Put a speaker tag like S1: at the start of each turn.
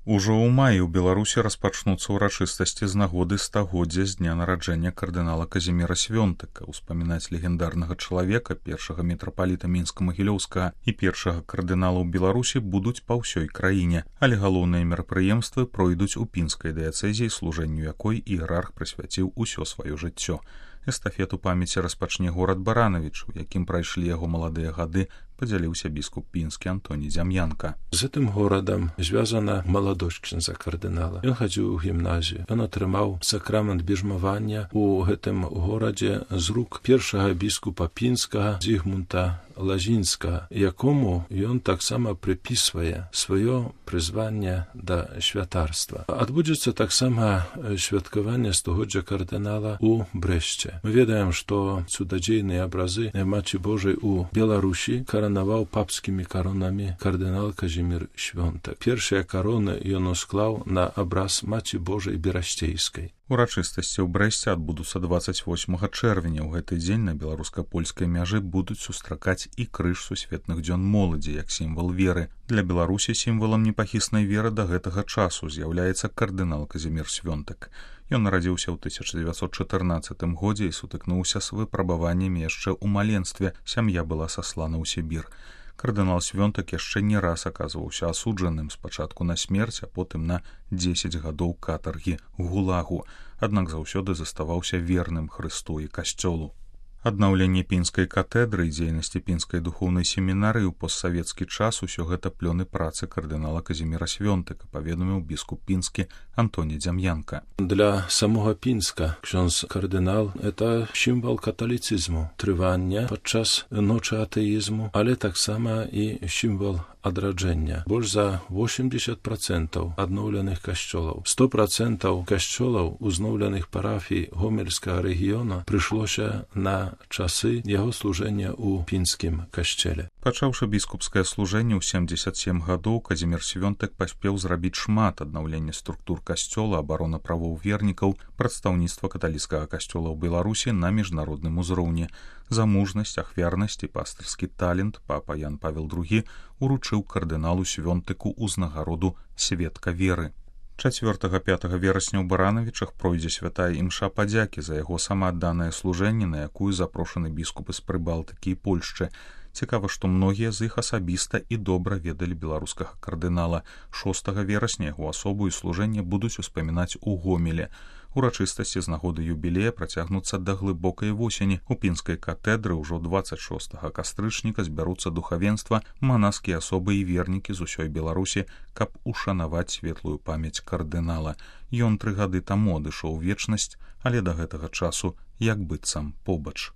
S1: Ужо ў маі ў Беларусі распачнуцца ўрачыстасці з нагоды стагоддзя з дня нараджэння кардынала Казіміра Свёнтыка. Успамінаць легендарнага чалавека, першага мітрапаліта Мінска-Магілёўскага і першага кардынала ў Беларусі будуць па ўсёй краіне, але галоўныя мерапрыемствы пройдуць у пінскай дыяцэзіі, служэнню якой іерарх прысвяціў усё сваё жыццё. Эстафету памяці распачне горад Баранавіч, у якім прайшлі яго маладыя гады, падзяліўся біскуп пінскі Антоній Дзям'янка.
S2: З гэтым горадам звязана маладосць ксяндза кардынала. Ён хадзіў у гімназію. Ён атрымаў сакрамент біжмавання у гэтым горадзе з рук першага біскупа пінскага Зігмунта Лазінскага, якому ён таксама прыпісвае сваё прызванне да святарства. Адбудзецца таксама святкаванне стагоддзя кардынала у Брэсце. Мы ведаем, што цудадзейныя абразы Маці Божай у Беларусі каранаваў папскімі каронамі кардынал Казімір Свёнтак. Першыя кароны ён усклаў на абраз Маці Божай Берасцейскай.
S1: Урачыстасці ў Брэсце адбудуцца 28 чэрвеня. У гэты дзень на беларуска-польскай мяжы будуць сустракаць і крыж сусветных дзён моладзі як сімвал веры. Для Беларусі сімвалам непахіснай веры да гэтага часу з'яўляецца кардынал Казімір Свёнтак. Ён нарадзіўся ў 1914 годзе і сутыкнуўся з выпрабаваннямі яшчэ ў маленстве. Сям'я была саслана ў Сібір. Кардынал Свёнтак яшчэ не раз аказваўся асуджаным, спачатку на смерць, а потым на 10 гадоў катаргі гулагу, аднак заўсёды заставаўся верным Хрысту і касцёлу. Аднаўленне пінскай катэдры і дзейнасці пінскай духоўнай семінарыі ў постсавецкі час усё гэта плёны працы кардынала Казіміра Свёнтыка, паведаміў біскуп пінскі Антоній Дзям'янка.
S2: Для самога Пінска ksiądz кардынал – это сімвал каталіцызму, трывання падчас ночы атэізму, але таксама і сімвал адраджэння. Больш за 80% адноўленых касцёлаў, 100% касцёлаў узнаўленых парафій гомельскага рэгіёна прыйшлося на часы яго служэння ў пінскім касцеле.
S1: Пачаўшы біскупскае служэнне ў 77 гадоў, Казімір Свёнтак паспеў зрабіць шмат: аднаўлення структур касцёла, абарона правоў вернікаў, прадстаўніцтва каталіцкага касцёла ў Беларусі на міжнародным узроўні. За мужнасць, ахвярнасць і пастырскі талент папа Ян Павел II уручыў кардыналу Свёнтыку ўзнагароду сведка веры. 4-5 верасня ў Баранавічах пройдзе святая імша падзякі за яго самаадданае служэнне, на якую запрошаны біскупы з Прыбалтыкі і Польшчы. Цікава, што многія з іх асабіста і добра ведалі беларускага кардынала. 6 верасня яго асобу і служэнне будуць успамінаць у Гомеле. Урачыстасці з нагоды юбілея працягнуцца да глыбокай восені. У пінскай катэдры ўжо 26 кастрычніка збяруцца духавенства, манаскія асобы і вернікі з усёй Беларусі, каб ушанаваць светлую памяць кардынала. Ён 3 гады таму адышоў у вечнасць, але да гэтага часу як быццам побач.